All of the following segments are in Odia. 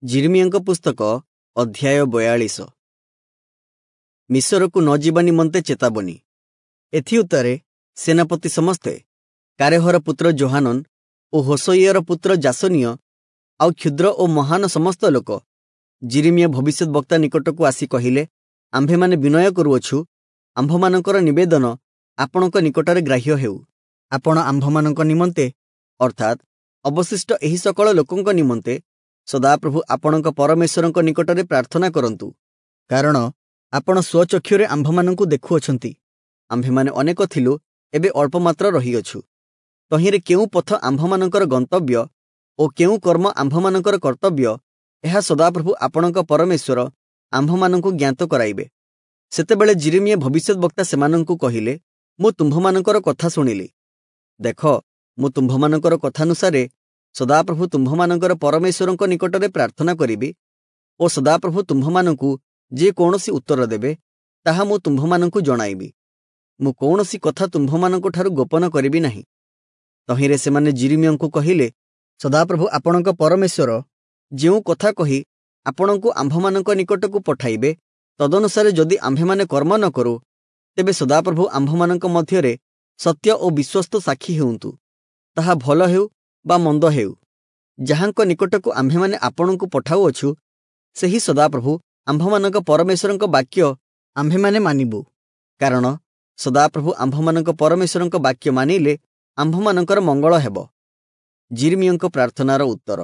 ଯିରିମିୟଙ୍କ ପୁସ୍ତକ ଅଧ୍ୟାୟ 42। ମିଶରକୁ ନ ଯିବା ନିମନ୍ତେ ଚେତାବନୀ। ଏଥିଉତ୍ତାରେ ସେନାପତି ସମସ୍ତେ କାରେହର ପୁତ୍ର ଯୋହାନନ ଓ ହୋଶଇୟର ପୁତ୍ର ଯାସନୀୟ ଆଉ କ୍ଷୁଦ୍ର ଓ ମହାନ ସମସ୍ତ ଲୋକ ଯିରିମିୟ ଭବିଷ୍ୟଦ୍‌ବକ୍ତା ନିକଟକୁ ଆସି କହିଲେ, ଆମ୍ଭେମାନେ ବିନୟ କରୁଅଛୁ, ଆମ୍ଭମାନଙ୍କର ନିବେଦନ ଆପଣଙ୍କ ନିକଟରେ ଗ୍ରାହ୍ୟ ହେଉ। ଆପଣ ଆମ୍ଭମାନଙ୍କ ନିମନ୍ତେ, ଅର୍ଥାତ୍ ଅବଶିଷ୍ଟ ଏହି ସକଳ ଲୋକଙ୍କ ନିମନ୍ତେ ସଦାପ୍ରଭୁ ଆପଣଙ୍କ ପରମେଶ୍ୱରଙ୍କ ନିକଟରେ ପ୍ରାର୍ଥନା କରନ୍ତୁ, କାରଣ ଆପଣ ସ୍ୱଚକ୍ଷୁରେ ଆମ୍ଭମାନଙ୍କୁ ଦେଖୁଅଛନ୍ତି। ଆମ୍ଭେମାନେ ଅନେକ ଥିଲୁ, ଏବେ ଅଳ୍ପମାତ୍ର ରହିଅଛୁ। ତହିଁରେ କେଉଁ ପଥ ଆମ୍ଭମାନଙ୍କର ଗନ୍ତବ୍ୟ ଓ କେଉଁ କର୍ମ ଆମ୍ଭମାନଙ୍କର କର୍ତ୍ତବ୍ୟ, ଏହା ସଦାପ୍ରଭୁ ଆପଣଙ୍କ ପରମେଶ୍ୱର ଆମ୍ଭମାନଙ୍କୁ ଜ୍ଞାତ କରାଇବେ। ସେତେବେଳେ ଯିରିମିୟ ଭବିଷ୍ୟଦ୍‌ବକ୍ତା ସେମାନଙ୍କୁ କହିଲେ, ମୁଁ ତୁମ୍ଭମାନଙ୍କର କଥା ଶୁଣିଲି। ଦେଖ, ମୁଁ ତୁମ୍ଭମାନଙ୍କର କଥାନୁସାରେ ସଦାପ୍ରଭୁ ତୁମ୍ଭମାନଙ୍କର ପରମେଶ୍ୱରଙ୍କ ନିକଟରେ ପ୍ରାର୍ଥନା କରିବି ଓ ସଦାପ୍ରଭୁ ତୁମ୍ଭମାନଙ୍କୁ ଯେ କୌଣସି ଉତ୍ତର ଦେବେ, ତାହା ମୁଁ ତୁମ୍ଭମାନଙ୍କୁ ଜଣାଇବି। ମୁଁ କୌଣସି କଥା ତୁମ୍ଭମାନଙ୍କଠାରୁ ଗୋପନ କରିବି ନାହିଁ। ତହିଁରେ ସେମାନେ ଯିରିମିୟଙ୍କୁ କହିଲେ, ସଦାପ୍ରଭୁ ଆପଣଙ୍କ ପରମେଶ୍ୱର ଯେଉଁ କଥା କହି ଆପଣଙ୍କୁ ଆମ୍ଭମାନଙ୍କ ନିକଟକୁ ପଠାଇବେ, ତଦନୁସାରେ ଯଦି ଆମ୍ଭେମାନେ କର୍ମ ନ କରୁ, ତେବେ ସଦାପ୍ରଭୁ ଆମ୍ଭମାନଙ୍କ ମଧ୍ୟରେ ସତ୍ୟ ଓ ବିଶ୍ୱସ୍ତ ସାକ୍ଷୀ ହେଉନ୍ତୁ। ତାହା ଭଲ ହେଉ ବା ମନ୍ଦ ହେଉ, ଯାହାଙ୍କ ନିକଟକୁ ଆମ୍ଭେମାନେ ଆପଣଙ୍କୁ ପଠାଉଅଛୁ, ସେହି ସଦାପ୍ରଭୁ ଆମ୍ଭମାନଙ୍କ ପରମେଶ୍ୱରଙ୍କ ବାକ୍ୟ ଆମ୍ଭେମାନେ ମାନିବୁ। କାରଣ ସଦାପ୍ରଭୁ ଆମ୍ଭମାନଙ୍କ ପରମେଶ୍ୱରଙ୍କ ବାକ୍ୟ ମାନିଲେ ଆମ୍ଭମାନଙ୍କର ମଙ୍ଗଳ ହେବ। ଯିରିମିୟଙ୍କ ପ୍ରାର୍ଥନାର ଉତ୍ତର।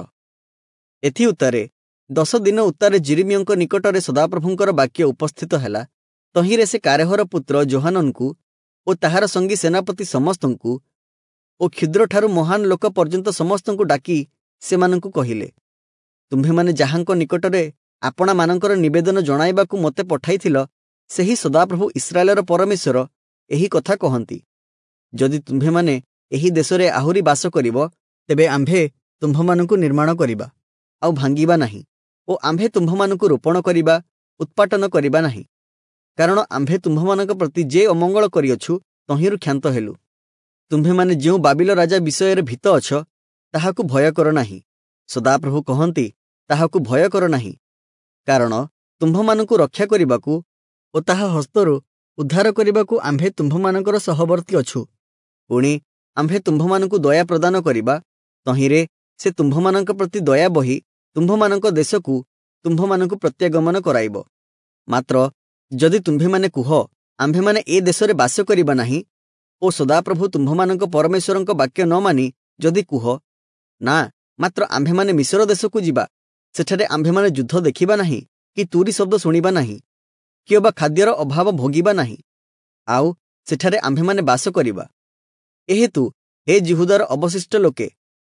ଏଥିଉତ୍ତାରେ 10 ଦିନ ଉତ୍ତାରେ ଯିରିମିୟଙ୍କ ନିକଟରେ ସଦାପ୍ରଭୁଙ୍କର ବାକ୍ୟ ଉପସ୍ଥିତ ହେଲା। ତହିଁରେ ସେ କାରେହର ପୁତ୍ର ଯୋହାନନଙ୍କୁ ଓ ତାହାର ସଙ୍ଗୀ ସେନାପତି ସମସ୍ତଙ୍କୁ ଓ କ୍ଷୁଦ୍ରଠାରୁ ମହାନ ଲୋକ ପର୍ଯ୍ୟନ୍ତ ସମସ୍ତଙ୍କୁ ଡାକି ସେମାନଙ୍କୁ କହିଲେ, ତୁମ୍ଭେମାନେ ଯାହାଙ୍କ ନିକଟରେ ଆପଣାମାନଙ୍କର ନିବେଦନ ଜଣାଇବାକୁ ମୋତେ ପଠାଇଥିଲ, ସେହି ସଦାପ୍ରଭୁ ଇସ୍ରାଏଲର ପରମେଶ୍ୱର ଏହି କଥା କହନ୍ତି, ଯଦି ତୁମ୍ଭେମାନେ ଏହି ଦେଶରେ ଆହୁରି ବାସ କରିବ, ତେବେ ଆମ୍ଭେ ତୁମ୍ଭମାନଙ୍କୁ ନିର୍ମାଣ କରିବା ଆଉ ଭାଙ୍ଗିବା ନାହିଁ, ଓ ଆମ୍ଭେ ତୁମ୍ଭମାନଙ୍କୁ ରୋପଣ କରିବା, ଉତ୍ପାଟନ କରିବା ନାହିଁ। କାରଣ ଆମ୍ଭେ ତୁମ୍ଭମାନଙ୍କ ପ୍ରତି ଯେ ଅମଙ୍ଗଳ କରିଅଛୁ, ତହିଁରୁ କ୍ଷାନ୍ତ ହେଲୁ। ତୁମ୍ଭେମାନେ ଯେଉଁ ବାବିଲ ରାଜା ବିଷୟରେ ଭୀତ ଅଛ, ତାହାକୁ ଭୟ କର ନାହିଁ। ସଦାପ୍ରଭୁ କହନ୍ତି, ତାହାକୁ ଭୟ କର ନାହିଁ, କାରଣ ତୁମ୍ଭମାନଙ୍କୁ ରକ୍ଷା କରିବାକୁ ଓ ତାହା ହସ୍ତରୁ ଉଦ୍ଧାର କରିବାକୁ ଆମ୍ଭେ ତୁମ୍ଭମାନଙ୍କର ସହବର୍ତ୍ତୀ ଅଛୁ। ପୁଣି ଆମ୍ଭେ ତୁମ୍ଭମାନଙ୍କୁ ଦୟା ପ୍ରଦାନ କରିବା, ତହିଁରେ ସେ ତୁମ୍ଭମାନଙ୍କ ପ୍ରତି ଦୟା ବହି ତୁମ୍ଭମାନଙ୍କ ଦେଶକୁ ତୁମ୍ଭମାନଙ୍କୁ ପ୍ରତ୍ୟାଗମନ କରାଇବ। ମାତ୍ର ଯଦି ତୁମ୍ଭେମାନେ କୁହ, ଆମ୍ଭେମାନେ ଏ ଦେଶରେ ବାସ କରିବା ନାହିଁ, ଓ ସଦାପ୍ରଭୁ ତୁମ୍ଭମାନଙ୍କ ପରମେଶ୍ୱରଙ୍କ ବାକ୍ୟ ନ ମାନି ଯଦି କୁହ, ନା, ମାତ୍ର ଆମ୍ଭେମାନେ ମିଶର ଦେଶକୁ ଯିବା, ସେଠାରେ ଆମ୍ଭେମାନେ ଯୁଦ୍ଧ ଦେଖିବା ନାହିଁ କି ତୁରୀ ଶବ୍ଦ ଶୁଣିବା ନାହିଁ, କିଅବା ଖାଦ୍ୟର ଅଭାବ ଭୋଗିବା ନାହିଁ, ଆଉ ସେଠାରେ ଆମ୍ଭେମାନେ ବାସ କରିବା। ଏହେତୁ ହେ ଯିହୁଦାର ଅବଶିଷ୍ଟ ଲୋକେ,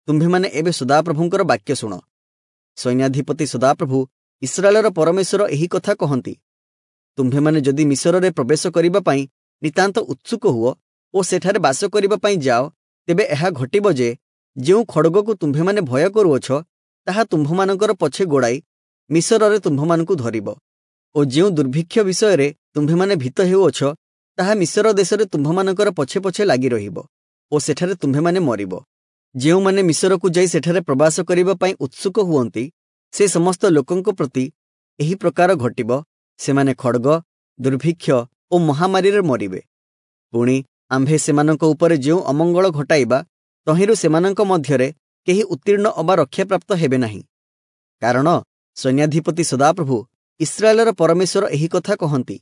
ତୁମ୍ଭେମାନେ ଏବେ ସଦାପ୍ରଭୁଙ୍କର ବାକ୍ୟ ଶୁଣ। ସୈନ୍ୟାଧିପତି ସଦାପ୍ରଭୁ ଇସ୍ରାଏଲର ପରମେଶ୍ୱର ଏହି କଥା କହନ୍ତି, ତୁମ୍ଭେମାନେ ଯଦି ମିଶରରେ ପ୍ରବେଶ କରିବା ପାଇଁ ନିତାନ୍ତ ଉତ୍ସୁକ ହୁଅ ଓ ସେଠାରେ ବାସ କରିବା ପାଇଁ ଯାଅ, ତେବେ ଏହା ଘଟିବ ଯେ ଯେଉଁ ଖଡ଼ଗକୁ ତୁମ୍ଭେମାନେ ଭୟ କରୁଅଛ, ତାହା ତୁମ୍ଭମାନଙ୍କର ପଛେ ଗୋଡ଼ାଇ ମିଶରରେ ତୁମ୍ଭମାନଙ୍କୁ ଧରିବ, ଓ ଯେଉଁ ଦୁର୍ଭିକ୍ଷ ବିଷୟରେ ତୁମ୍ଭେମାନେ ଭୀତ ହେଉଅଛ, ତାହା ମିଶର ଦେଶରେ ତୁମ୍ଭମାନଙ୍କର ପଛେ ପଛେ ଲାଗି ରହିବ, ଓ ସେଠାରେ ତୁମ୍ଭେମାନେ ମରିବ। ଯେଉଁମାନେ ମିଶରକୁ ଯାଇ ସେଠାରେ ପ୍ରବାସ କରିବା ପାଇଁ ଉତ୍ସୁକ ହୁଅନ୍ତି, ସେ ସମସ୍ତ ଲୋକଙ୍କ ପ୍ରତି ଏହି ପ୍ରକାର ଘଟିବ, ସେମାନେ ଖଡ଼ଗ, ଦୁର୍ଭିକ୍ଷ ଓ ମହାମାରୀରେ ମରିବେ। ପୁଣି ଆମ୍ଭେ ସେମାନଙ୍କ ଉପରେ ଯେଉଁ ଅମଙ୍ଗଳ ଘଟାଇବା, ତହିଁରୁ ସେମାନଙ୍କ ମଧ୍ୟରେ କେହି ଉତ୍ତୀର୍ଣ୍ଣ ଅବା ରକ୍ଷାପ୍ରାପ୍ତ ହେବେ ନାହିଁ। କାରଣ ସୈନ୍ୟାଧିପତି ସଦାପ୍ରଭୁ ଇସ୍ରାଏଲର ପରମେଶ୍ୱର ଏହି କଥା କହନ୍ତି,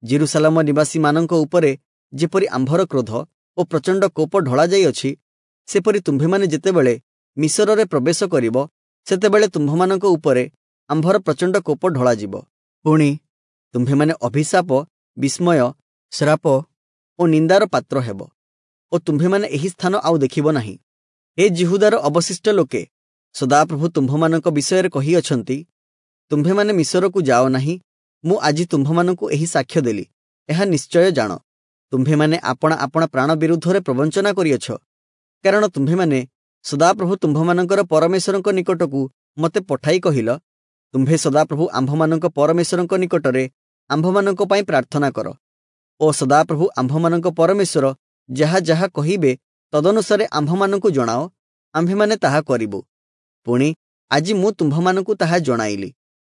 ଯିରୂଶାଲମ ନିବାସୀମାନଙ୍କ ଉପରେ ଯେପରି ଆମ୍ଭର କ୍ରୋଧ ଓ ପ୍ରଚଣ୍ଡ କୋପ ଢଳାଯାଇଅଛି, ସେପରି ତୁମ୍ଭେମାନେ ଯେତେବେଳେ ମିଶରରେ ପ୍ରବେଶ କରିବ, ସେତେବେଳେ ତୁମ୍ଭମାନଙ୍କ ଉପରେ ଆମ୍ଭର ପ୍ରଚଣ୍ଡ କୋପ ଢଳାଯିବ। ପୁଣି ତୁମ୍ଭେମାନେ ଅଭିଶାପ, ବିସ୍ମୟ, ଶ୍ରାପ ଓ ନିନ୍ଦାର ପାତ୍ର ହେବ, ଓ ତୁମ୍ଭେମାନେ ଏହି ସ୍ଥାନ ଆଉ ଦେଖିବ ନାହିଁ। ହେ ଯିହୁଦାର ଅବଶିଷ୍ଟ ଲୋକେ, ସଦାପ୍ରଭୁ ତୁମ୍ଭମାନଙ୍କ ବିଷୟରେ କହିଅଛନ୍ତି, ତୁମ୍ଭେମାନେ ମିଶରକୁ ଯାଅ ନାହିଁ। ମୁଁ ଆଜି ତୁମ୍ଭମାନଙ୍କୁ ଏହି ସାକ୍ଷ୍ୟ ଦେଲି, ଏହା ନିଶ୍ଚୟ ଜାଣ। ତୁମ୍ଭେମାନେ ଆପଣା ଆପଣା ପ୍ରାଣ ବିରୁଦ୍ଧରେ ପ୍ରବଞ୍ଚନା କରିଅଛ, କାରଣ ତୁମ୍ଭେମାନେ ସଦାପ୍ରଭୁ ତୁମ୍ଭମାନଙ୍କର ପରମେଶ୍ୱରଙ୍କ ନିକଟକୁ ମୋତେ ପଠାଇ କହିଲ, ତୁମ୍ଭେ ସଦାପ୍ରଭୁ ଆମ୍ଭମାନଙ୍କ ପରମେଶ୍ୱରଙ୍କ ନିକଟରେ ଆମ୍ଭମାନଙ୍କ ପାଇଁ ପ୍ରାର୍ଥନା କର, ଓ ସଦାପ୍ରଭୁ ଆମ୍ଭମାନଙ୍କ ପରମେଶ୍ୱର ଯାହା ଯାହା କହିବେ ତଦନୁସାରେ ଆମ୍ଭମାନଙ୍କୁ ଜଣାଅ, ଆମ୍ଭେମାନେ ତାହା କରିବୁ। ପୁଣି ଆଜି ମୁଁ ତୁମ୍ଭମାନଙ୍କୁ ତାହା ଜଣାଇଲି।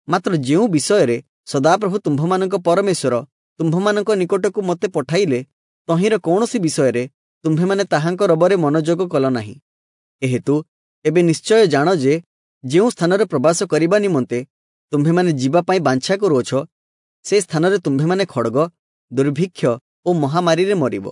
ମାତ୍ର ଯେଉଁ ବିଷୟରେ ସଦାପ୍ରଭୁ ତୁମ୍ଭମାନଙ୍କ ପରମେଶ୍ୱର ତୁମ୍ଭମାନଙ୍କ ନିକଟକୁ ମୋତେ ପଠାଇଲେ, ତହିଁର କୌଣସି ବିଷୟରେ ତୁମ୍ଭେମାନେ ତାହାଙ୍କ ରବରେ ମନୋଯୋଗ କଲ ନାହିଁ। ଏହେତୁ ଏବେ ନିଶ୍ଚୟ ଜାଣ ଯେ ଯେଉଁ ସ୍ଥାନରେ ପ୍ରବାସ କରିବା ନିମନ୍ତେ ତୁମ୍ଭେମାନେ ଯିବା ପାଇଁ ବାଞ୍ଛା କରୁଅଛ, ସେ ସ୍ଥାନରେ ତୁମ୍ଭେମାନେ ଖଡ଼ଗ, ଦୁର୍ଭିକ୍ଷ ଓ ମହାମାରୀରେ ମରିବ।